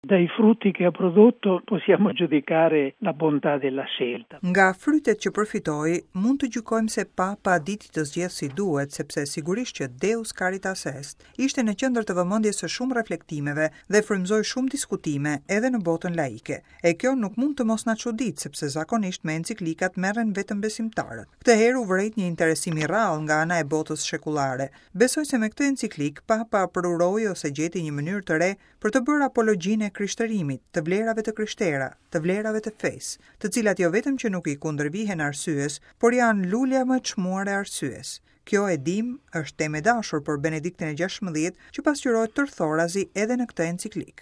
Dai frutti che ha prodotto possiamo giudicare la bontà della scelta. Nga frytet që përfitoi, mund të gjykojmë se Papa diti të zgjedhë si duhet, sepse sigurisht që Deus Caritas Est ishte në qendër të vëmendjes së shumë reflektimeve dhe frymëzoi shumë diskutime edhe në botën laike. E kjo nuk mund të mos na çuditë, sepse zakonisht me enciklikat merren vetëm besimtarët. Këtë herë u vërejt një interesim i rrallë nga ana e botës shekullare. Besoj se me këtë enciklikë Papa përuroi ose gjeti një mënyrë të re për të bërë apologjinë e krishterimit, të vlerave të krishtera, të vlerave të fesë, të cilat jo vetëm që nuk i kundërvihen arsyes, por janë lulja më e çmuar e arsyes. Kjo e dimë, është temë e dashur për Benediktin e XVI, që pasqyrohet tërthorazi edhe në këtë enciklikë.